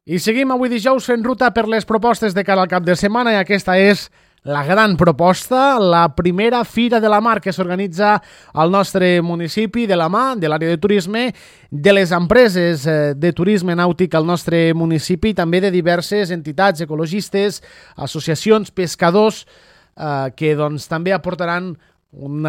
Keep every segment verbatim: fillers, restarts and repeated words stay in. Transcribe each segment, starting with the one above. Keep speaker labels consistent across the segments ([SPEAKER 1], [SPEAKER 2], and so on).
[SPEAKER 1] I seguim avui dijous fent ruta per les propostes de cara al cap de setmana i aquesta és la gran proposta, la primera Fira de la Mar que s'organitza al nostre municipi de la mà de l'àrea de turisme, de les empreses de turisme nàutic al nostre municipi i també de diverses entitats ecologistes, associacions, pescadors eh, que doncs, també aportaran un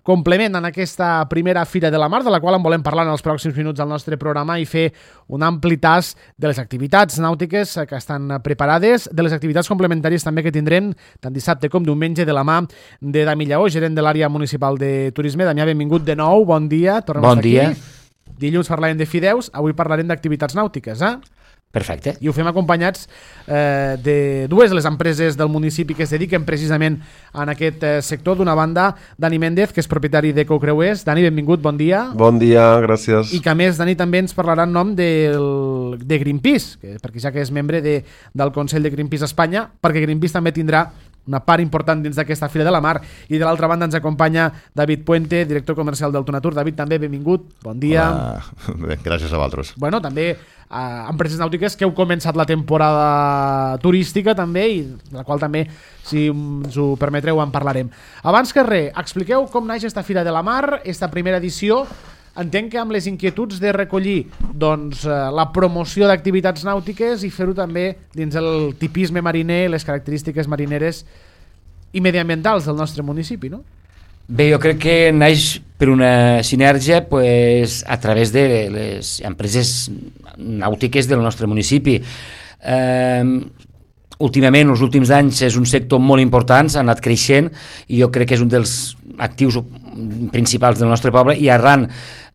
[SPEAKER 1] complement en aquesta primera Fira de la Mar, de la qual en volem parlar en els pròxims minuts al nostre programa i fer un ampli tas de les activitats nàutiques que estan preparades, de les activitats complementàries també que tindrem tant dissabte com diumenge de la mà de Dami Lleó, gerent de l'àrea municipal de turisme. Damià, benvingut de nou, bon dia. Tornem
[SPEAKER 2] bon dia.
[SPEAKER 1] Aquí. Dilluns parlarem de fideus, avui parlarem d'activitats nàutiques, eh?
[SPEAKER 2] Perfecte.
[SPEAKER 1] I ho fem acompanyats eh, de dues de les empreses del municipi que es dediquen precisament en aquest eh, sector. D'una banda, Dani Méndez, que és propietari d'Ecocreuers. Dani, benvingut, bon dia.
[SPEAKER 3] Bon dia, gràcies.
[SPEAKER 1] I que a més, Dani, també ens parlarà en nom del, de Greenpeace, que, perquè ja que és membre de, del Consell de Greenpeace Espanya, perquè Greenpeace també tindrà una part important dins d'aquesta Fira de la Mar. I de l'altra banda ens acompanya David Puente, director comercial del Tonatur. David, també benvingut, bon dia.
[SPEAKER 4] Hola. Bé, gràcies a vosaltres.
[SPEAKER 1] Bueno, també eh, empreses nàutiques que heu començat la temporada turística també i de la qual també, si ens ho permetreu, en parlarem. Abans que res, expliqueu com naix esta Fira de la Mar, esta primera edició. Entenc que amb les inquietuds de recollir doncs, la promoció d'activitats nàutiques i fer-ho també dins el tipisme mariner, les característiques marineres i mediambientals del nostre municipi, no?
[SPEAKER 2] Bé, jo crec que naix per una sinergia pues, a través de les empreses nàutiques del nostre municipi. Eh, últimament, els últims anys, és un sector molt important, s'ha anat creixent i jo crec que és un dels actius principals del nostre poble i arran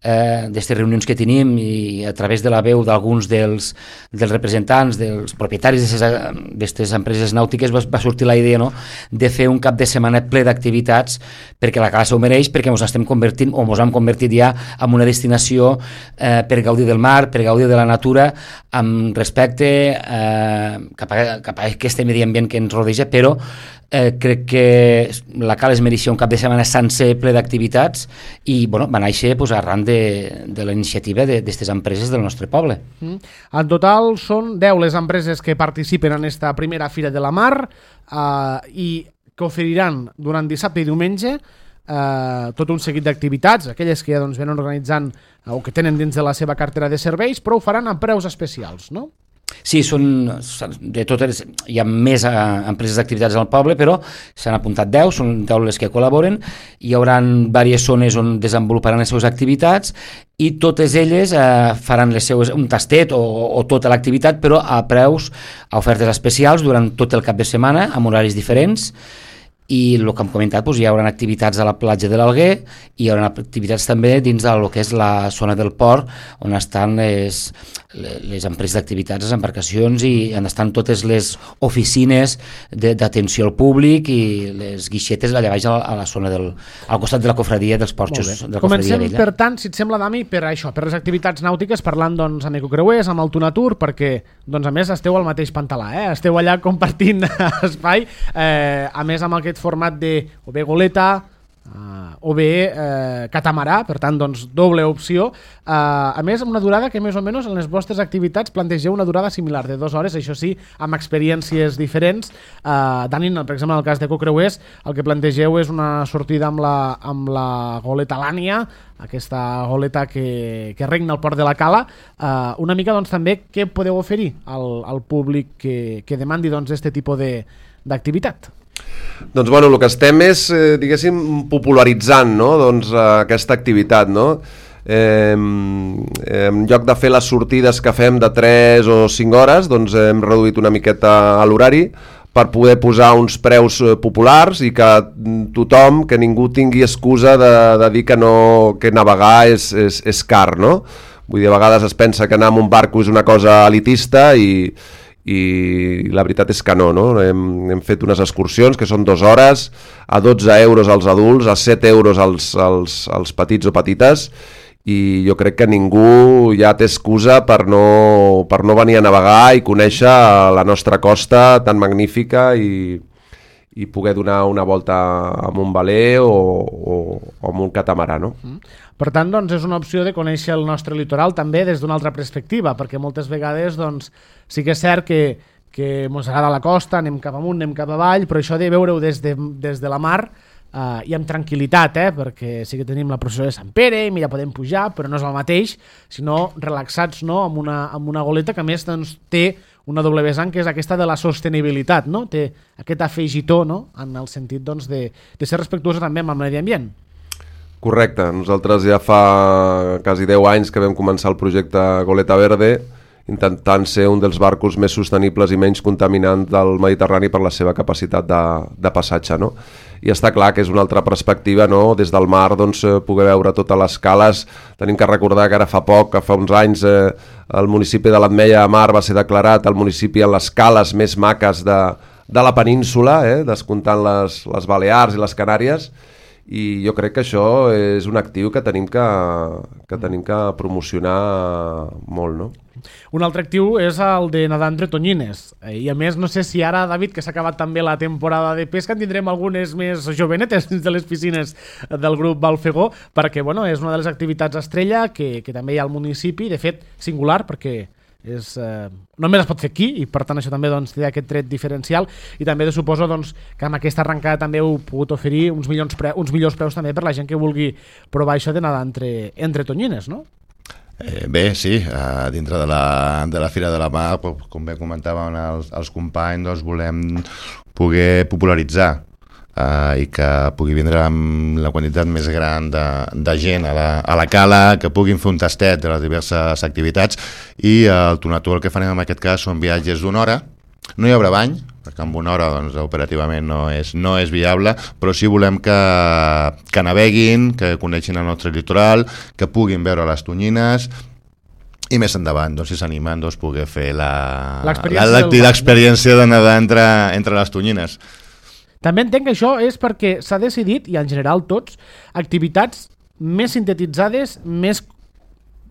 [SPEAKER 2] eh, d'aquestes reunions que tenim i a través de la veu d'alguns dels, dels representants, dels propietaris d'aquestes empreses nàutiques va, va sortir la idea, no?, de fer un cap de setmana ple d'activitats perquè la Cala s'ho mereix, perquè ens estem convertint o ens hem convertit ja en una destinació eh, per gaudir del mar, per gaudir de la natura amb respecte eh, cap, a, cap a aquest medi ambient que ens rodeja, però Eh, crec que la Cala es mereixia un cap de setmana sencer ple d'activitats i bueno, va néixer pues, arran de, de la iniciativa d'aquestes empreses del nostre poble.
[SPEAKER 1] Mm. En total són deu les empreses que participen en esta primera Fira de la Mar eh, i que oferiran durant dissabte i diumenge eh, tot un seguit d'activitats, aquelles que ja doncs, venen organitzant eh, o que tenen dins de la seva cartera de serveis, però ho faran a preus especials, no?
[SPEAKER 2] Sí, són de totes, hi ha més eh, empreses d'activitats al poble, però s'han apuntat deu, són deu les que col·laboren, hi haurà diverses zones on desenvoluparan les seves activitats i totes elles eh, faran les seues, un tastet o, o tota l'activitat, però a preus, a ofertes especials durant tot el cap de setmana, amb horaris diferents. I el que hem comentat, doncs, hi haurà activitats a la platja de l'Alguer i hi haurà activitats també dins del que és la zona del port on estan les, les empreses d'activitats, les embarcacions i on estan totes les oficines d'atenció al públic i les guixetes allà baix a la, a la zona del, al costat de la cofradia dels porxos de la
[SPEAKER 1] Comencem,
[SPEAKER 2] vella.
[SPEAKER 1] Per tant, si et sembla, Dami, per això, per les activitats nàutiques, parlant doncs, amb Ecocreuers, amb el Tonatur, perquè doncs, a més esteu al mateix pantalà, eh? Esteu allà compartint espai, eh, a més amb aquest format de o bé goleta uh, o bé uh, catamarà, per tant doncs doble opció, uh, a més amb una durada que més o menys en les vostres activitats plantegeu una durada similar de dues hores, això sí, amb experiències diferents. uh, Dani, per exemple en el cas d'Ecocreuers el que plantegeu és una sortida amb la, amb la goleta Lània, aquesta goleta que, que regna al port de la Cala. uh, una mica doncs també què podeu oferir al, al públic que, que demandi doncs este tipus de, d'activitat?
[SPEAKER 3] Doncs bueno, el que estem és, eh, diguéssim, popularitzant, no?, doncs, eh, aquesta activitat, no? Eh, en lloc de fer les sortides que fem de tres o cinc hores, doncs hem reduït una miqueta a l'horari per poder posar uns preus populars i que tothom, que ningú tingui excusa de, de dir que, no, que navegar és, és, és car, no? Vull dir, a vegades es pensa que anar amb un barco és una cosa elitista i i la veritat és que no, no? Hem, hem fet unes excursions que són dues hores a dotze euros als adults, a set euros als, als, als petits o petites i jo crec que ningú ja té excusa per no, per no venir a navegar i conèixer la nostra costa tan magnífica i, i poder donar una volta amb un veler o, o, o amb un catamarà, no?
[SPEAKER 1] Mm. Per tant, doncs, és una opció de conèixer el nostre litoral també des d'una altra perspectiva, perquè moltes vegades doncs, sí que és cert que, que ens agrada la costa, anem cap amunt, anem cap avall, però això de veure-ho des, de, des de la mar uh, i amb tranquil·litat, eh? Perquè sí que tenim la processó de Sant Pere i ja podem pujar, però no és el mateix, sinó relaxats, no? amb, una, amb una goleta que a més doncs, té una doble vessant, que és aquesta de la sostenibilitat, no? Té aquest afegitó, no? En el sentit doncs, de, de ser respectuosa també amb el medi ambient.
[SPEAKER 3] Correcte, nosaltres ja fa quasi deu anys que vam començar el projecte Goleta Verde, intentant ser un dels barcos més sostenibles i menys contaminants del Mediterrani per la seva capacitat de, de passatge, no? I està clar que és una altra perspectiva, no? Des del mar doncs, poder veure totes les cales. Tenim que recordar que ara fa poc, que fa uns anys, eh, el municipi de l'Ametlla de Mar va ser declarat el municipi amb les cales més maques de, de la península, eh? Descomptant les, les Balears i les Canàries, i jo crec que això és un actiu que tenim que, que, tenim que promocionar molt, no?
[SPEAKER 1] Un altre actiu és el de nedar entre tonyines, i a més no sé si ara, David, que s'ha acabat també la temporada de pesca, en tindrem algunes més jovenetes dins de les piscines del grup Balfegó, perquè bueno, és una de les activitats estrella que, que també hi ha al municipi, de fet singular, perquè és, eh, només es pot fer aquí i per tant això també doncs, té aquest tret diferencial, i també de suposo doncs, que amb aquesta arrencada també heu pogut oferir uns, milions pre uns millors preus també per la gent que vulgui provar això de nedar entre, entre tonyines, no?
[SPEAKER 4] Eh, bé, sí, eh, dintre de la, de la Fira de la Mar, com bé comentaven els, els companys, doncs volem poder popularitzar eh, i que pugui vindre amb la quantitat més gran de, de gent a la, a la cala, que puguin fer un tastet de les diverses activitats, i eh, el Tonatur el que farem en aquest cas són viatges d'una hora. No hi haurà bany, perquè amb una hora doncs, operativament no és, no és viable, però sí volem que, que naveguin, que coneixin el nostre litoral, que puguin veure les tonyines, i més endavant, doncs, si s'animen, doncs, poder fer l'experiència de nedar entre, entre les tonyines.
[SPEAKER 1] També entenc que això és perquè s'ha decidit, i en general tots, activitats més sintetitzades, més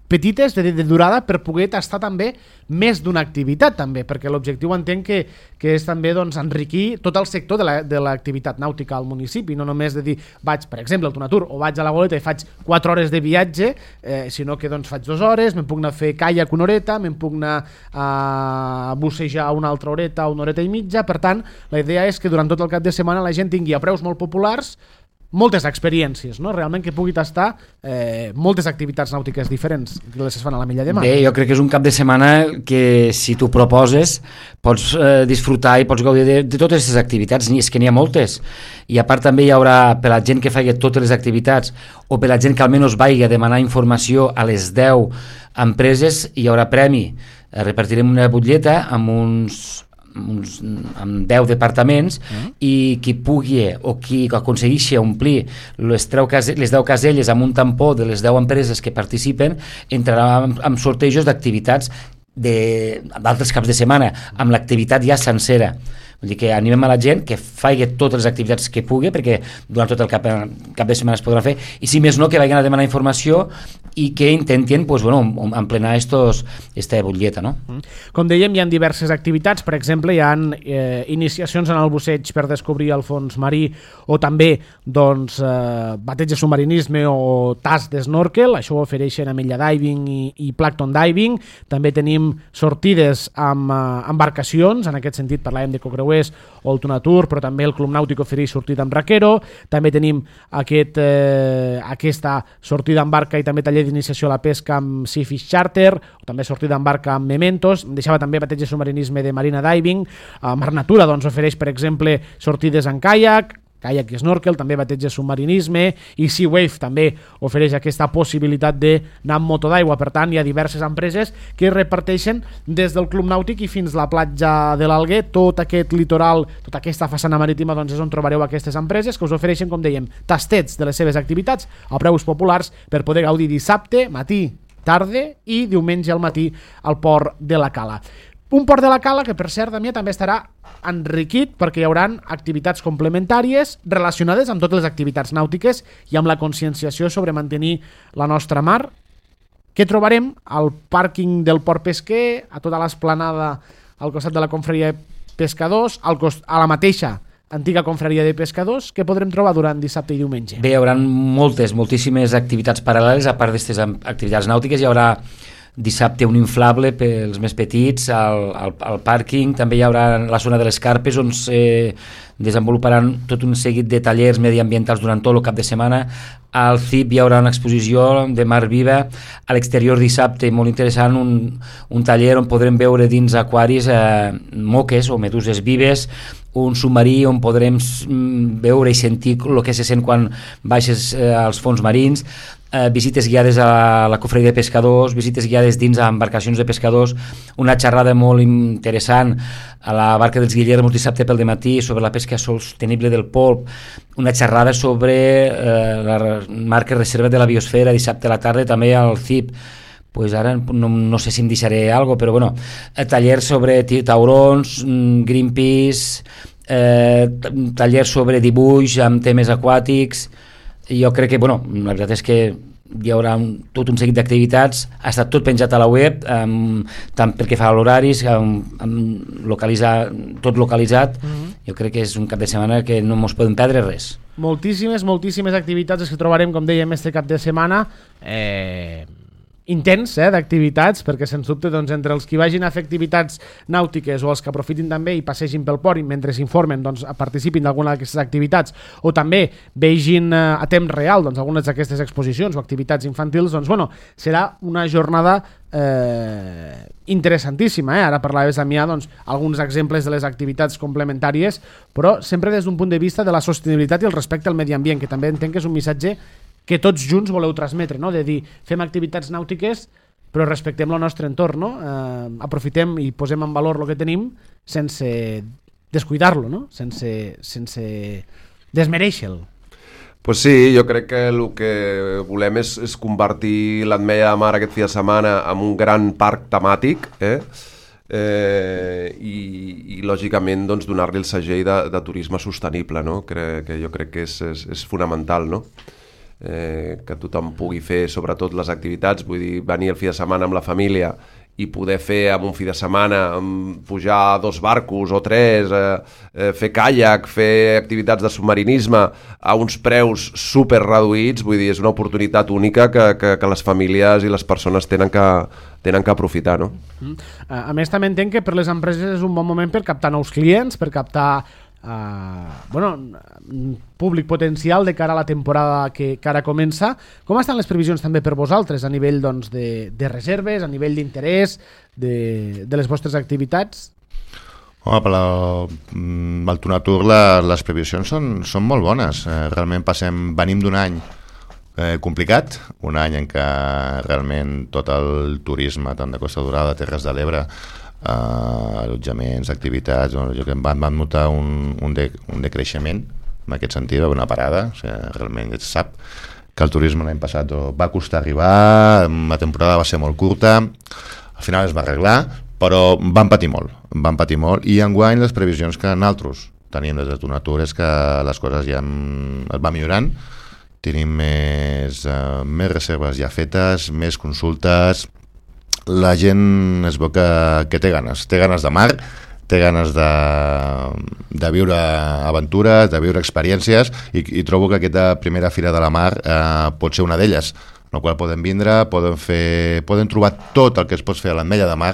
[SPEAKER 1] petites de, de durada, per poder tastar també més d'una activitat també, perquè l'objectiu entenc que, que és també doncs, enriquir tot el sector de la, de l'activitat nàutica al municipi, no només de dir vaig, per exemple, al Tonatur, o vaig a la Goleta i faig quatre hores de viatge, eh, sinó que doncs, faig dues hores, me'n puc anar a fer caiac una horeta, me'n puc anar a bussejar una altra horeta, una horeta i mitja. Per tant, la idea és que durant tot el cap de setmana la gent tingui a preus molt populars moltes experiències, no? Realment que pugui tastar eh, moltes activitats nàutiques diferents que les es fan a l'Ametlla de Mar.
[SPEAKER 2] Bé, jo crec que és un cap de setmana que si tu proposes pots eh, disfrutar i pots gaudir de, de totes aquestes activitats, és que n'hi ha moltes, i a part també hi haurà per la gent que faci totes les activitats o per la gent que almenys vagi a demanar informació a les deu empreses, hi haurà premi. Repartirem una butlleta amb uns Uns, amb deu departaments, mm. i qui pugui o qui aconsegueixi omplir les, les deu caselles amb un tampó de les deu empreses que participen entrarà amb, amb sortejos d'activitats d'altres caps de setmana, amb l'activitat ja sencera. Vull dir que animem a la gent que faci totes les activitats que pugui, perquè durant tot el cap, cap de setmana es podrà fer, i si més no que vagin a demanar informació i que intentin pues, bueno, emplenar estos, esta butlleta, no?
[SPEAKER 1] Com dèiem, hi ha diverses activitats. Per exemple, hi ha eh, iniciacions en el busseig per descobrir el fons marí, o també doncs, eh, bateig de submarinisme o tas d'snorkel. Això ho ofereixen Ametlla Diving i, i Plankton Diving. També tenim sortides amb eh, embarcacions, en aquest sentit parlàvem de Cocreuers o el Tonatur, però també el Club Nàutic ofereix sortida amb raquero. També tenim aquest, eh, aquesta sortida amb barca i també taller d'iniciació a la pesca amb Sea Fish Charter, o també sortida amb barca amb Mementos. Deixava també bateig de submarinisme de Marina Diving. A Mar Natura doncs, ofereix, per exemple, sortides en caiac, caiac i snorkel, també bateig de submarinisme, i Sea Wave també ofereix aquesta possibilitat d'anar amb moto d'aigua. Per tant, hi ha diverses empreses que reparteixen des del Club Nàutic i fins a la platja de l'Alguer, tot aquest litoral, tota aquesta façana marítima, doncs és on trobareu aquestes empreses que us ofereixen, com dèiem, tastets de les seves activitats a preus populars per poder gaudir dissabte, matí, tarda i diumenge al matí al port de la Cala. Un port de la Cala que, per cert, Damià, també estarà enriquit perquè hi haurà activitats complementàries relacionades amb totes les activitats nàutiques i amb la conscienciació sobre mantenir la nostra mar. Què trobarem? Al pàrquing del Port Pesquer, a tota l'esplanada al costat de la confraria de pescadors, al cost, a la mateixa antiga confraria de pescadors, que podrem trobar durant dissabte i diumenge.
[SPEAKER 2] Bé, hi haurà moltes, moltíssimes activitats paral·leles, a part d'aquestes activitats nàutiques. Hi haurà dissabte un inflable pels més petits, al, al, al pàrquing també hi haurà la zona de les carpes on se desenvoluparan tot un seguit de tallers mediambientals durant tot el cap de setmana. Al C I P hi haurà una exposició de mar viva, a l'exterior dissabte, molt interessant, un, un taller on podrem veure dins aquaris eh, moques o meduses vives, un submarí on podrem veure i sentir el que se sent quan baixes eh, als fons marins, eh, visites guiades a la cofreria de pescadors, visites guiades dins a embarcacions de pescadors, una xerrada molt interessant a la barca dels Guillermos dissabte pel dematí sobre la pesca sostenible del polp, una xerrada sobre eh, la marca reserva de la biosfera dissabte a la tarda també al C I P. Pues ara no, no sé si em deixaré alguna cosa, però bueno, tallers sobre taurons, Greenpeace, eh, tallers sobre dibuix amb temes aquàtics. Jo crec que, bueno, la veritat és que hi haurà un, tot un seguit d'activitats, ha estat tot penjat a la web, um, tant pel que fa a l'horaris, um, um, localitzar, tot localitzat. Mm-hmm. Jo crec que és un cap de setmana que no ens podem perdre res.
[SPEAKER 1] Moltíssimes, moltíssimes activitats que trobarem, com dèiem, este cap de setmana. Eh... intens eh, d'activitats, perquè sens dubte doncs, entre els que vagin a fer activitats nàutiques o els que aprofitin també i passegin pel port i mentre s'informen doncs, participin d'alguna d'aquestes activitats o també vegin eh, a temps real doncs, algunes d'aquestes exposicions o activitats infantils, doncs bueno, serà una jornada eh, interessantíssima. Eh? Ara parlaves, Damià, doncs, alguns exemples de les activitats complementàries, però sempre des d'un punt de vista de la sostenibilitat i el respecte al medi ambient, que també entenc que és un missatge que tots junts voleu transmetre, no? De dir, fem activitats nàutiques però respectem el nostre entorn, no? Eh, aprofitem i posem en valor el que tenim sense descuidar-lo, no? sense, sense desmereixer-lo.
[SPEAKER 3] Pues sí, jo crec que el que volem és, és convertir l'Ametlla de Mar aquest fi de setmana en un gran parc temàtic, eh? Eh, i, i lògicament doncs, donar-li el segell de, de turisme sostenible, no? que, que jo crec que és, és, és fonamental, no? Eh, que tothom pugui fer sobretot les activitats, vull dir, venir el fi de setmana amb la família i poder fer amb un fi de setmana pujar dos barcos o tres, eh, eh, fer caiac, fer activitats de submarinisme a uns preus super reduïts, vull dir, és una oportunitat única que, que, que les famílies i les persones tenen que, tenen que aprofitar, no?
[SPEAKER 1] Mm. A més, també entenc que per les empreses és un bon moment per captar nous clients, per captar Uh, bueno, públic potencial de cara a la temporada que, que ara comença. Com estan les previsions també per vosaltres a nivell doncs, de, de reserves, a nivell d'interès de, de les vostres activitats?
[SPEAKER 4] Home, per al Tonatur la, les previsions són, són molt bones. Eh, realment passem, venim d'un any eh, complicat, un any en què realment tot el turisme, tant de Costa Dorada, Terres de l'Ebre, Uh, allotjaments, activitats, jo que van, van notar un, un, de, un decreixement en aquest sentit, una parada, o sigui, realment es sap que el turisme l'any passat va costar arribar, la temporada va ser molt curta, al final es va arreglar, però van patir molt, van patir molt, i enguany les previsions que nosaltres tenim des de Tonatur és que les coses ja es van millorant, tenim més, uh, més reserves ja fetes, més consultes. La gent es veu que, que té ganes, té ganes de mar, té ganes de, de viure aventures, de viure experiències, i, i trobo que aquesta primera Fira de la Mar eh, pot ser una d'elles, en la qual poden vindre, poden, fer, poden trobar tot el que es pot fer a l'Ametlla de Mar,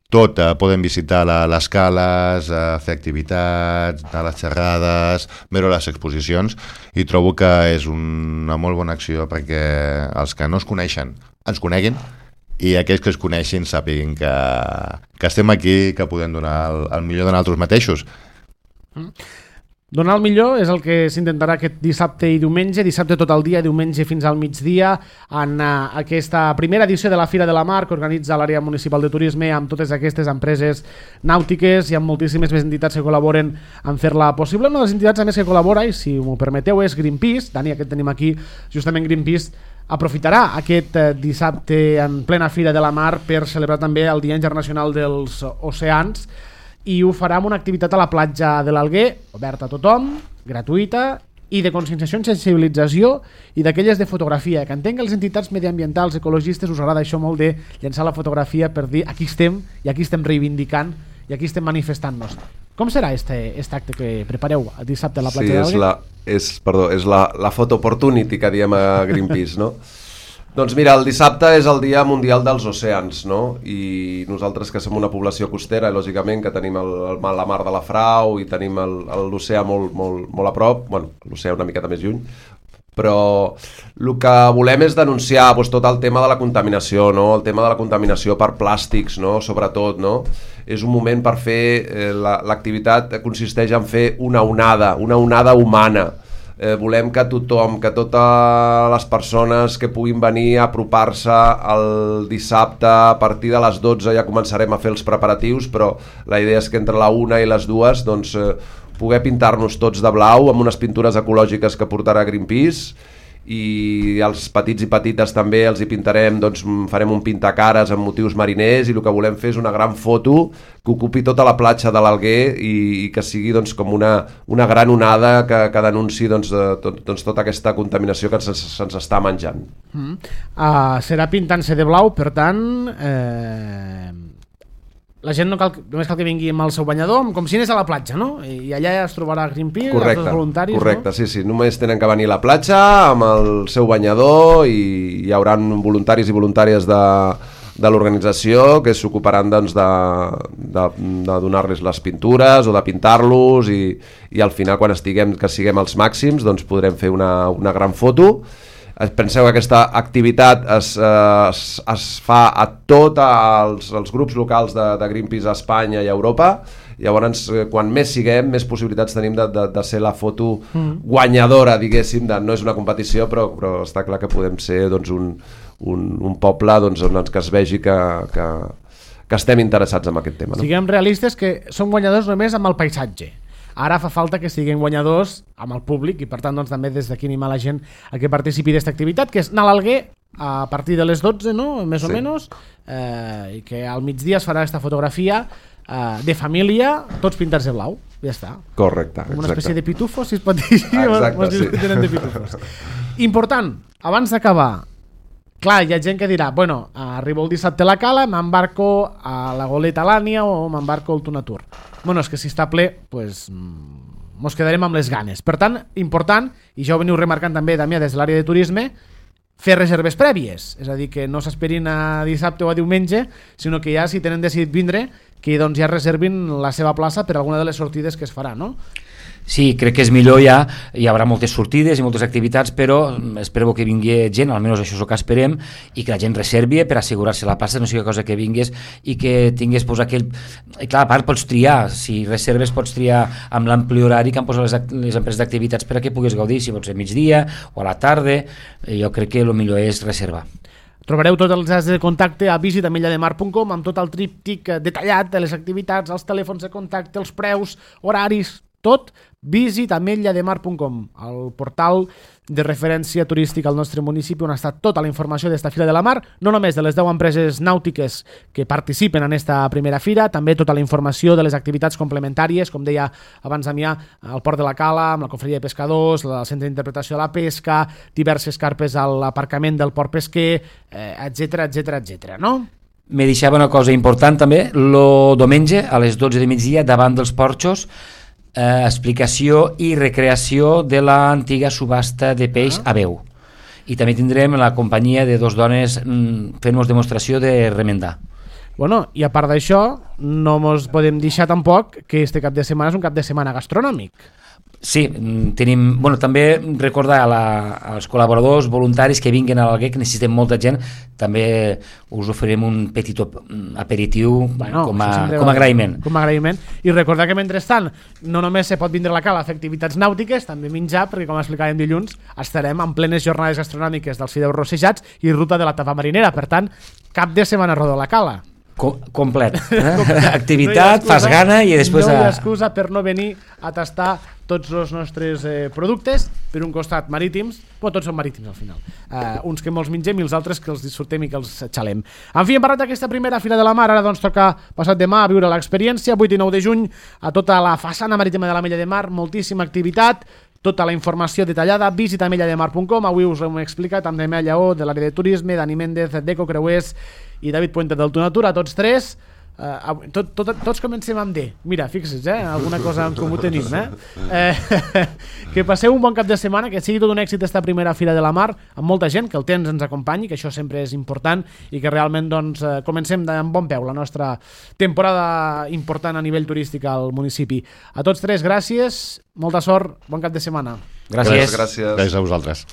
[SPEAKER 4] tot, eh, poden visitar la, les cales, eh, fer activitats, anar a les xerrades, veure les exposicions, i trobo que és una molt bona acció perquè els que no es coneixen ens coneguin, i aquells que es coneixin sàpiguen que, que estem aquí, que podem donar el, el millor de nosaltres mateixos.
[SPEAKER 1] Mm. Donar el millor és el que s'intentarà aquest dissabte i diumenge, dissabte tot el dia, diumenge fins al migdia, en uh, aquesta primera edició de la Fira de la Mar que organitza l'àrea municipal de turisme amb totes aquestes empreses nàutiques i amb moltíssimes més entitats que col·laboren en fer-la possible. Una de les entitats a més que col·labora, i si m'ho permeteu, és Greenpeace. Dani, aquest tenim aquí, justament Greenpeace aprofitarà aquest eh, dissabte en plena Fira de la Mar per celebrar també el Dia Internacional dels Oceans, i ho farà amb una activitat a la platja de l'Alguer, oberta a tothom, gratuïta i de conscienciació i sensibilització, i d'aquelles de fotografia, que entenc que les entitats mediambientals, ecologistes, us agrada això molt de llançar la fotografia per dir aquí estem i aquí estem reivindicant i aquí estem manifestant-nos. Com serà este, este acte que prepareu dissabte a la platja
[SPEAKER 3] sí,
[SPEAKER 1] de l'Alguer?
[SPEAKER 3] Sí, és, la, és, perdó, és la, la photo opportunity que diem a Greenpeace, no? Doncs mira, el dissabte és el Dia Mundial dels Oceans, no? I nosaltres que som una població costera, i lògicament que tenim el, el, la mar de la Frau i tenim l'oceà molt, molt, molt a prop, bueno, l'oceà una miqueta més lluny, però el que volem és denunciar doncs, tot el tema de la contaminació, no? El tema de la contaminació per plàstics, no? Sobretot, no? És un moment per fer, eh, l'activitat consisteix en fer una onada, una onada humana. Eh, volem que tothom, que totes les persones que puguin venir a apropar-se el dissabte a partir de les dotze ja començarem a fer els preparatius, però la idea és que entre la una i les dues doncs, eh, poder pintar-nos tots de blau amb unes pintures ecològiques que portarà Greenpeace, i els petits i petites també els hi pintarem, doncs farem un pintacares amb motius mariners, i el que volem fer és una gran foto que ocupi tota la platja de l'Alguer i, i que sigui doncs, com una, una gran onada que, que denunciï doncs, de, tot, doncs, tota aquesta contaminació que se'ns se està menjant.
[SPEAKER 1] Mm. Uh, serà pintant-se de blau, per tant... Eh... La gent no cal, només cal que vingui amb el seu banyador, com si anés a la platja, no? I allà es trobarà Greenpeace, correcte, els voluntaris,
[SPEAKER 3] correcte,
[SPEAKER 1] no?
[SPEAKER 3] Sí, sí, només tenen que venir a la platja amb el seu banyador i hi haurà voluntaris i voluntàries de, de l'organització que s'ocuparan doncs, de, de, de donar-los les pintures o de pintar-los i, i al final, quan estiguem, que siguem els màxims, doncs podrem fer una, una gran foto. Penseu que aquesta activitat es, es, es fa a tots els, els grups locals de, de Greenpeace a Espanya i a Europa. Llavors, quan més siguem, més possibilitats tenim de, de, de ser la foto guanyadora, diguéssim, de, no és una competició, però, però està clar que podem ser doncs, un, un, un poble doncs, on que es vegi que, que, que estem interessats en aquest tema. No?
[SPEAKER 1] Siguem realistes que som guanyadors només amb el paisatge. Ara fa falta que siguin guanyadors amb el públic i per tant doncs, també des d'aquí animar la gent a que participi d'aquesta activitat, que és anar a l'Alguer a partir de les dotze, no? Més o sí. menys, eh, i que al migdia es farà aquesta fotografia eh, de família, tots pintats de blau, ja està.
[SPEAKER 3] Correcte,
[SPEAKER 1] com una
[SPEAKER 3] exacte.
[SPEAKER 1] espècie de pitufos, si es pot dir.
[SPEAKER 3] Exacte, sí.
[SPEAKER 1] De pitufos. Important, abans d'acabar, clar, hi ha gent que dirà, bueno, arribo el dissabte a la cala, m'embarco a la Goleta Lània o m'embarco al Tunatur. Bueno, és que si està ple, pues, mos quedarem amb les ganes. Per tant, important, i ja ho veniu remarcant també, Damià, des de l'àrea de turisme, fer reserves prèvies. És a dir, que no s'esperin a dissabte o a diumenge, sinó que ja, si tenen decidit vindre, que doncs ja reservin la seva plaça per alguna de les sortides que es farà, no?
[SPEAKER 2] Sí, crec que és millor ja, hi haurà moltes sortides i moltes activitats, però espero que vingui gent, almenys això és el que esperem, i que la gent reservi per assegurar-se la plaça, no sigui cosa que vingués i que tingués pues, aquell... I clar, a part pots triar, si reserves pots triar amb l'ampli horari que han posat les, les empreses d'activitats per a que puguis gaudir, si pot ser migdia o a la tarda, jo crec que el millor és reservar.
[SPEAKER 1] Trobareu tots els dades de contacte a visita ametlla de mar punt com amb tot el tríptic detallat de les activitats, els telèfons de contacte, els preus, horaris, tot, visita ametlla de mar punt com, el portal de referència turística al nostre municipi on ha estat tota la informació d'esta Fira de la Mar, no només de les deu empreses nàutiques que participen en esta primera fira, també tota la informació de les activitats complementàries, com deia abans Damià, al Port de la Cala, amb la Confraria de Pescadors, el Centre d'Interpretació de la Pesca, diverses carpes a l'aparcament del Port Pesquer, etcètera, etcètera, etcètera, no?
[SPEAKER 2] Me deixava una cosa important també, el diumenge a les dotze de migdia davant dels porxos, Eh, explicació i recreació de l'antiga subhasta de peix a veu. I també tindrem la companyia de dos dones mm, fent-nos demostració de remendar.
[SPEAKER 1] Bueno, i a part d'això, no mos podem deixar tampoc que este cap de setmana és un cap de setmana gastronòmic.
[SPEAKER 2] Sí, tenim, bueno, també recordar a la, als col·laboradors voluntaris que vinguin a l'Alguer, que necessitem molta gent, també us oferim un petit aperitiu
[SPEAKER 1] bueno,
[SPEAKER 2] com, a, com a agraïment.
[SPEAKER 1] Com a agraïment. I recordar que mentrestant no només se pot vindre a la cala a fer activitats nàutiques, també menjar, perquè com explicàvem dilluns, estarem en plenes jornades gastronòmiques dels fideus rossejats i ruta de la tapa marinera. Per tant, cap de setmana rodó a la cala.
[SPEAKER 2] Com, complet, eh? Activitat, no fas gana i després...
[SPEAKER 1] No hi ha excusa per no venir a tastar tots els nostres eh, productes, per un costat marítims, però tots són marítims al final. Uh, uns que molts mengem i els altres que els disfrutem i que els xalem. En fi, hem parlat d'aquesta primera Fira de la Mar, ara doncs toca passat demà a viure l'experiència, vuit i nou de juny, a tota la façana marítima de l'Ametlla de Mar, moltíssima activitat, tota la informació detallada, visita ametlla de mar punt com. Avui us ho hem explicat amb Damià Lleó, de l'àrea de turisme, Dani Méndez, d'Eco Creuers i David Puente del Tunatur, a tots tres. Uh, tot, tot, tots comencem amb D. Mira, fixa't, eh? Alguna cosa en comú tenim, eh? eh? Que passeu un bon cap de setmana, que sigui tot un èxit esta primera Fira de la Mar, amb molta gent, que el temps ens acompanyi, que això sempre és important, i que realment doncs, comencem amb bon peu la nostra temporada important a nivell turístic al municipi. A tots tres, gràcies, molta sort, bon cap de setmana.
[SPEAKER 2] Gràcies.
[SPEAKER 3] Gràcies.
[SPEAKER 4] Gràcies a vosaltres.